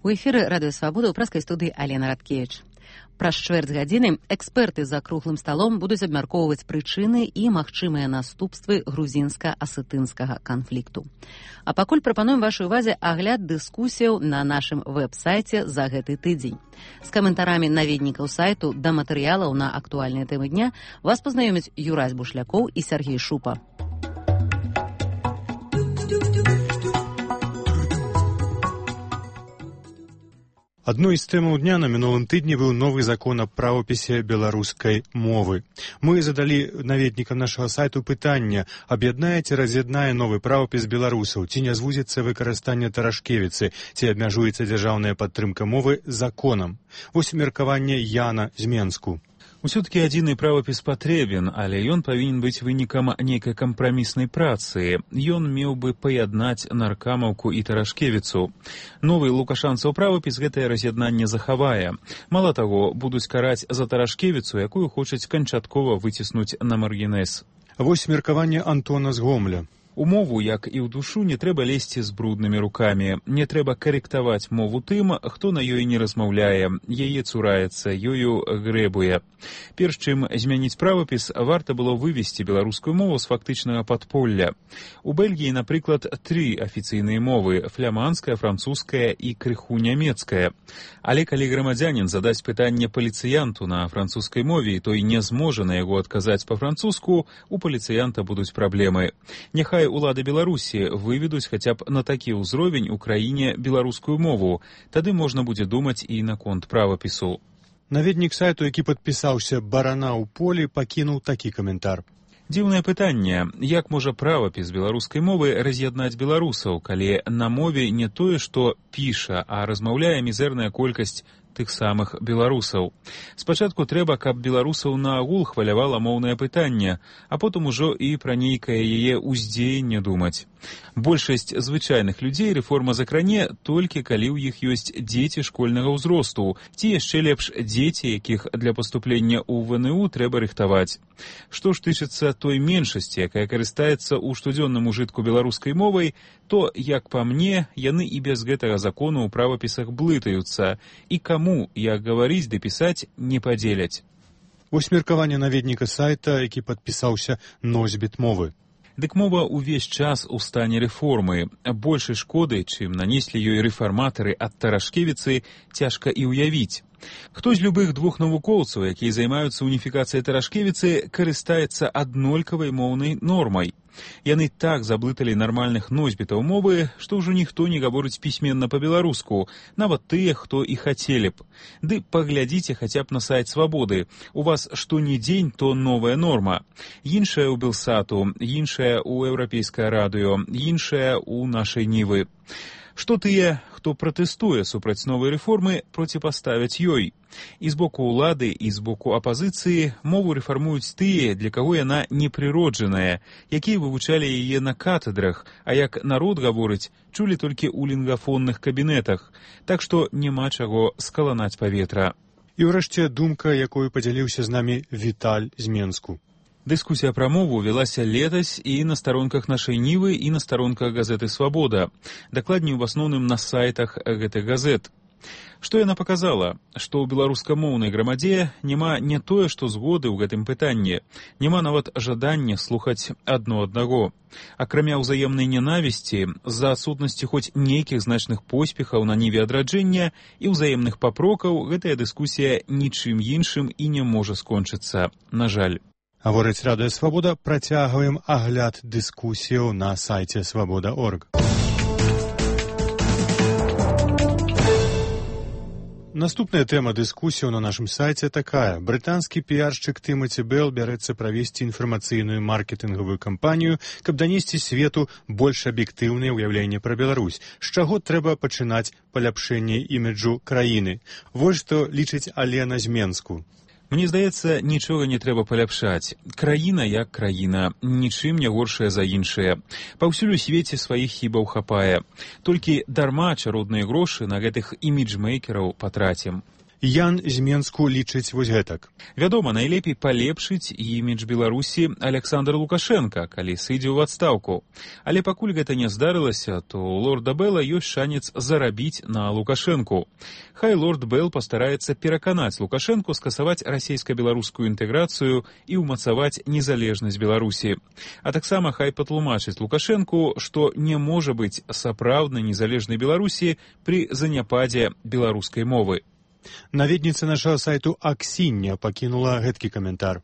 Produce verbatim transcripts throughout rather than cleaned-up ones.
У эфіры радыё Свабода ў праскай студыі Алена Радкевіч. Праз чвэрць гадзіны эксперты за круглым сталом будуць абмяркоўваць прычыны і магчымыя наступствы грузінска-асетынскага канфлікту. А пакуль прапануем вашай увазе агляд дыскусіяў на нашым вэб-сайце за гэты тыдзень. З каментарамі наведнікаў сайту да матэрыялаў на актуальныя тэмы дня вас пазнаёмяць Юрась Бушлякоў і Сергей Шупа. Адной з тэмаў дня на мінулым тыдні быў новы закон аб правапісе беларускай мовы. Мы задалі наведнікам нашага сайту пытанне: аб'яднае ці раз'яднае новы правапіс беларусаў, ці не звузіцца выкарыстанне Тарашкевіцы, ці абмяжуецца дзяржаўная падтрымка мовы законам. Вось меркаванне Яна з Менску. Усё-таки адзіны правапіс патрэбен, але ён павінен быць вынікам нейкай кампраміснай працы. Ён меў бы паяднаць Наркамаўку і Тарашкевіцу. Новы лукашанцаў правапіс гэтае раз'яднанне захавае. Мала таго, будуць караць за Тарашкевіцу, якую хочуць канчаткова выціснуць на маргінез. Вось меркаванне Антона з Гомля. У мову, як і ў душу, не трэба лезці з бруднымі рукамі. Не трэба карэктаваць мову тым, хто на ёй не размаўляе, яе цураецца, ёю грэбуе. Перш чым змяніць правапіс, варта было вывесці беларускую мову з фактычнага падполля. У Бельгіі, напрыклад, тры афіцыйныя мовы: фламандская, французская і крыху нямецкая. Але калі грамадзянін задаць пытанне паліцыянту на французскай мове, той не зможа на яго адказаць па-французску, у паліцыянта будуць праблемы. Няхай улады Беларусі выведуць хаця б на такі ўзровень у краіне беларускую мову, тады можна будзе думаць і наконт правапісу. Наведнік сайту, які падпісаўся «Барана ў полі», пакінуў такі каментар. Дзіўнае пытанне: як можа правапіс беларускай мовы раз'яднаць беларусаў, калі на мове не тое, што піша, а размаўляе мізэрная колькасць тых самых беларусаў. Спачатку трэба, каб беларусаў наогул хвалявала моўнае пытанне, а потым ужо і пра нейкае яе ўздзеянне думаць. Большасць звычайных людзей рэформа закране толькі калі ў іх ёсць дзеці школьнага ўзросту, ці яшчэ лепш дзеці, якіх для паступлення ў вэ эн у трэба рыхтаваць. Што ж тычыцца той меншасці, якая карыстаецца ў штодзённым ужытку беларускай мовай, то, як па мне, яны і без гэтага закону ў правапісах блытаюцца, і каму, як гаварыць ды пісаць, не падзеляць. Вось меркаванне наведніка сайта, які падпісаўся «Носьбіт мовы». Дык мова ўвесь час у стане рэформы. Большай шкоды, чым нанеслі ёй рэфарматары ад Тарашкевіцы, цяжка і ўявіць. Хто з любых двух навукоўцаў, якія займаюцца уніфікацыяй Тарашкевіцы, карыстаецца аднолькавай моўнай нормай. Яны так заблыталі нармальных носьбітаў мовы, што ўжо ніхто не гаворыць пісьменна па-беларуску, нават тыя, хто і хацелі б. Ды паглядзіце хаця б на сайт Свабоды. У вас што ні дзень, то новая норма. Іншая ў Белсату, іншая ў Еўрапейскае радыё, іншая ў нашай Нівы. Што тыя, хто пратэстуе супраць новай рэформы, проціпаставяць ёй. І з боку ўлады, і з боку апазіцыі мову рэфармуюць тыя, для каго яна непрыроджаная, якія вывучалі яе на катедрах, а як народ гаворыць, чулі толькі ў лінгафонных кабінетах. Так што няма чаго скаланаць паветра. І ўрэшце думка, якою падзяліўся з намі Віталь з Менску. Дыскусія пра мову велася летась і на старонках нашай Нівы, і на старонках газеты «Свабода». Дакладней, у асноўным на сайтах гэтых газет. Што яна паказала? Што ў беларускамоўнай грамадзе няма не тое, што згоды ў гэтым пытанні, няма нават жадання слухаць адно аднаго. Акрамя ўзаемнай нянавісці, з-за адсутнасці хоць нейкіх значных поспехаў на ніве адраджэння і ўзаемных папрокаў, гэтая дыскусія нічым іншым і не можа скончыцца, на жаль. Гаворыць радыё Свабода, працягваем агляд дыскусіяў на сайце свабода точка орг. Наступная тэма дыскусіяў на нашым сайце такая. Брытанскі піяршчык Тымаці Белл бярэцца правесці інфармацыйную маркетынгавую кампанію, каб данесці свету больш аб'ектыўнае ўяўленне пра Беларусь. З чаго трэба пачынаць паляпшэнне іміджу краіны? Вось што лічыць Алена з Менску. Мне здаецца, нічога не трэба паляпшаць. Краіна як краіна, нічым не горшая за іншыя. Паўсюль у свеце сваіх хібаў хапае. Толькі дарма чародныя грошы на гэтых іміджмейкераў патрацім. Ян з Менску лічыць вось гэтак. Вядома, найлепей палепшыць імідж Беларусі Александр Лукашенко, калі сыдзе ў адстаўку. Але пакуль гэта не здарылася, то у лорда Белла ёсць шанец зарабіць на Лукашенку. Хай лорд Белл пастараецца пераканаць Лукашенку скасаваць расійска-беларускую інтэграцыю і ўмацаваць незалежнасць Беларусі. А таксама хай патлумачыць Лукашенку, што не можа быць сапраўднай незалежнай Беларусі пры заняпадзе беларускай мовы. Наведніца нашага сайту Аксіння пакінула гэткі каментар.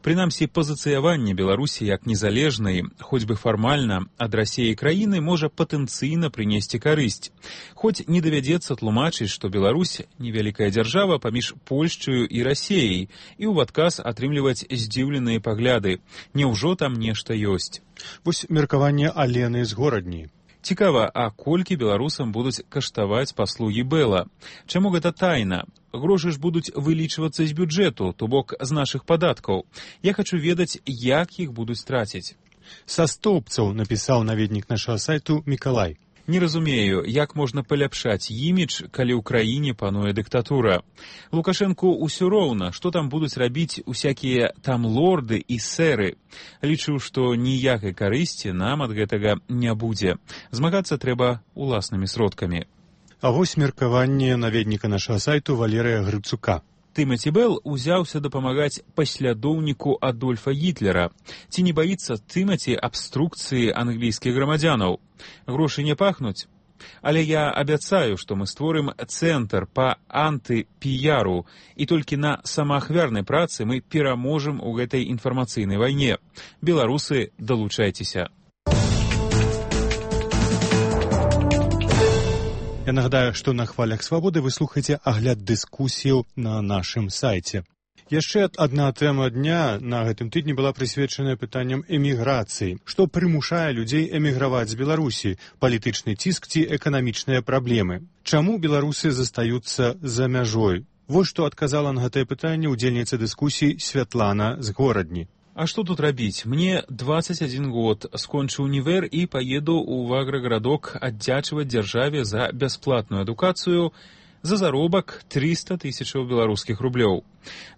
Прынамсі, пазіцыяванне Беларусі як незалежнай, хоць бы фармальна, ад Расіі краіны можа патэнцыйна прынесці карысць. Хоць не давядзецца тлумачыць, што Беларусь – невялікая дзяржава паміж Польшчаю і Расіяй, і ў адказ атрымліваць здзіўленыя пагляды. Няўжо там нешта ёсць? Вось меркаванне Алены з Горадні. Цікава, а колькі беларусам будуць каштаваць паслугі Белла? Чаму гэта тайна? Грошы ж будуць вылічвацца з бюджэту, то бок з нашых падаткаў. Я хачу ведаць, як іх будуць траціць. Са стоўбцаў напісаў наведнік нашага сайту Мікалай. Не разумею, як можна паляпшаць імідж, калі ў краіне пануе дыктатура. Лукашэнку ўсё роўна, што там будуць рабіць усякія там лорды і сэры. Лічу, што ніякай карысці нам ад гэтага не будзе. Змагацца трэба уласнымі сродкамі. А вось меркаванне наведніка нашага сайту Валерыя Грыцука. Тымаці Белл узяўся дапамагаць паслядоўніку Адольфа Гітлера. Ці не баіцца Тымаці абструкцыі англійскіх грамадзянаў? Грошы не пахнуць? Але я абяцаю, што мы створым цэнтр па антыпіяру, і толькі на самаахвярнай працы мы пераможам у гэтай інфармацыйнай вайне. Беларусы, далучайцеся. Я нагадаю, што на хвалях свабоды вы слухаеце агляд дыскусіяў на нашым сайце. Яшчэ адна тэма дня на гэтым тыдні была прысвечаная пытанням эміграцыі. Што прымушае людзей эміграваць з Беларусі? Палітычны ціск ці эканамічныя праблемы? Чаму беларусы застаюцца за мяжой? Вось што адказала на гэтае пытанне ўдзельніца дыскусіі Святлана з Горадні. А што тут рабіць? Мне дваццаць адзін год, скончу універ і паеду ў аграгарадок аддзячваць дзяржаве за бясплатную адукацыю за заробак трыста тысячаў беларускіх рублёў.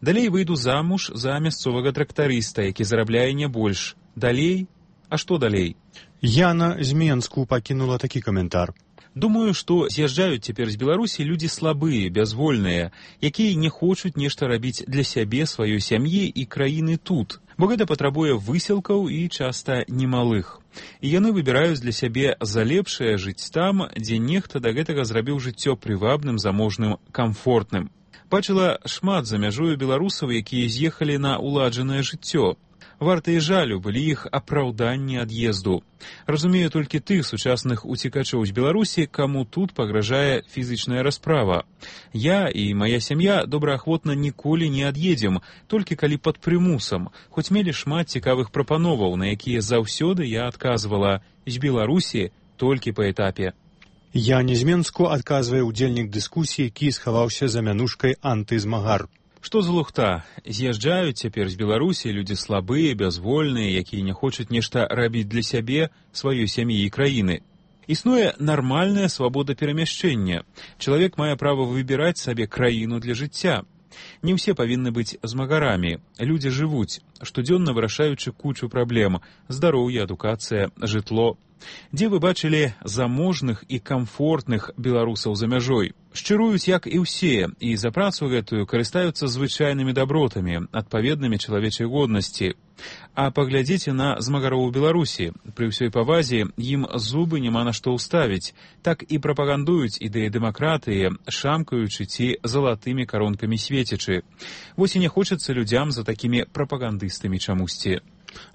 Далей выйду замуж за мясцовага трактарыста, які зарабляе не больш. Далей? А што далей? Яна з Менску пакінула такі каментар. Думаю, што з'язджаюць цяпер з Беларусі людзі слабыя, бязвольныя, якія не хочуць нешта рабіць для сябе, сваёй сям'і і краіны тут, бо гэта патрабуе высілкаў і часта немалых. І яны выбіраюць для сябе за лепшае жыць там, дзе нехта да гэтага зрабіў жыццё прывабным, заможным, камфортным. Бачыла шмат за мяжою беларусаў, якія з'ехалі на уладжанае жыццё. Вартыя жалю былі іх апраўданні ад'езду. Разумею толькі тых сучасных уцекачоў з Беларусі, каму тут пагражае фізічная расправа. Я і мая сям'я добраахвотна ніколі не ад'едзем, толькі калі пад прымусам, хоць мелі шмат цікавых прапановаў, на якія заўсёды я адказвала: з Беларусі толькі па этапе. Я не з Менску, адказвае ўдзельнік дыскусіі, які схаваўся за мянушкай антызмагар. Што за лухта? З'язджаюць цяпер з Беларусі людзі слабыя, бязвольныя, якія не хочуць нешта рабіць для сябе, сваёй сям'і і краіны. Існуе нармальная свабода перамяшчэння. Чалавек мае права выбіраць сабе краіну для жыцця. Не ўсе павінны быць змагарамі. Людзі жывуць, штодзённа вырашаючы кучу праблем: здароўе, адукацыя, жытло. Дзе вы бачылі заможных і камфортных беларусаў за мяжой? Шчыруюць, як і ўсе, і за працу гэтую карыстаюцца звычайнымі дабротамі, адпаведнымі чалавечай годнасці. А паглядзіце на змагароў у Беларусі. Пры ўсёй павазе ім зубы няма на што ўставіць. Так і прапагандуюць ідэі дэмакратыі, шамкаючы ці залатымі каронкамі свецячы. Вось і не хочацца людзям за такімі прапагандыстамі чамусьці.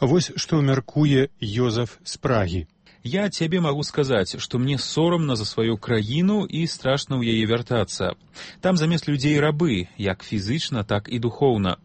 Вось што мяркуе Йозаф з Прагі. Я цябе магу сказаць, што мне сорамна за сваю краіну і страшна ў яе вяртацца. Там замест людзей рабы, як фізычна, так і духоўна.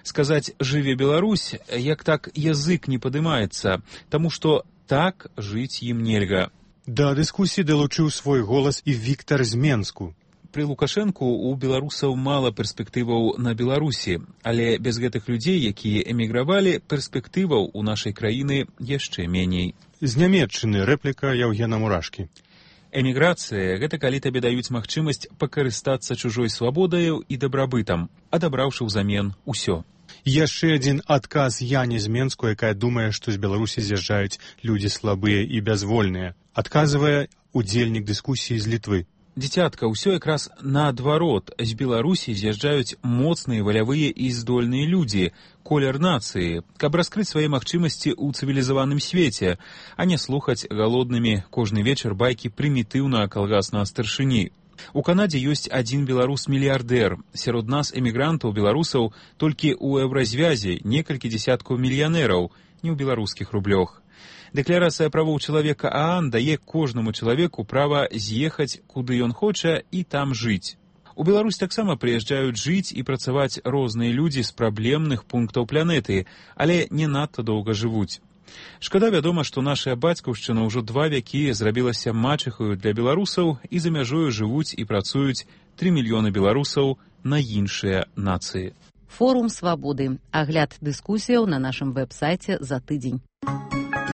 Сказаць «жыве Беларусь», як так язык не падымаецца, таму што так жыць ім нельга. Да дыскусіі далучыў свой голас і Віктар з Менску. Пры Лукашэнку у беларусаў мала перспектываў на Беларусі, але без гэтых людзей, якія эмігравалі, перспектываў у нашай краіны яшчэ меней. З Нямецчыны рэпліка Яўгена Мурашкі. Эміграцыя – гэта калі табе даюць магчымасць пакарыстацца чужой свабодаю і дабрабытам, адабраўшы ўзамен усё. Яшчэ адзін адказ Яне з Менску, якая думае, што з Беларусі з'язджаюць людзі слабыя і бязвольныя. Адказвае удзельнік дыскусіі з Літвы. Дзіцятка, ўсё якраз наадварот. З Беларусі з'язджаюць моцныя, валявыя і здольныя людзі, колер нацыі, каб раскрыць свае магчымасці ў цывілізаваным свеце, а не слухаць галоднымі кожны вечар байкі прымітыўнага калгаснага старшыні. У Канадзе ёсць адзін беларус-мільярдэр. Сярод нас, эмігрантаў, беларусаў, толькі ў еўразвязе некалькі дзесяткаў мільянераў, не ў беларускіх рублёх. Дэкларацыя правоў чалавека ААН дае кожнаму чалавеку права з'ехаць, куды ён хоча, і там жыць. У Беларусь таксама прыязджаюць жыць і працаваць розныя людзі з праблемных пунктаў планеты, але не надта доўга жывуць. Шкада, вядома, што нашая бацькаўшчына ўжо два вякі зрабілася мачыхаю для беларусаў, і за мяжою жывуць і працуюць тры мільёны беларусаў на іншыя нацыі. Форум свабоды. Агляд дыскусіяў на нашым вэб-сайце за тыдзень.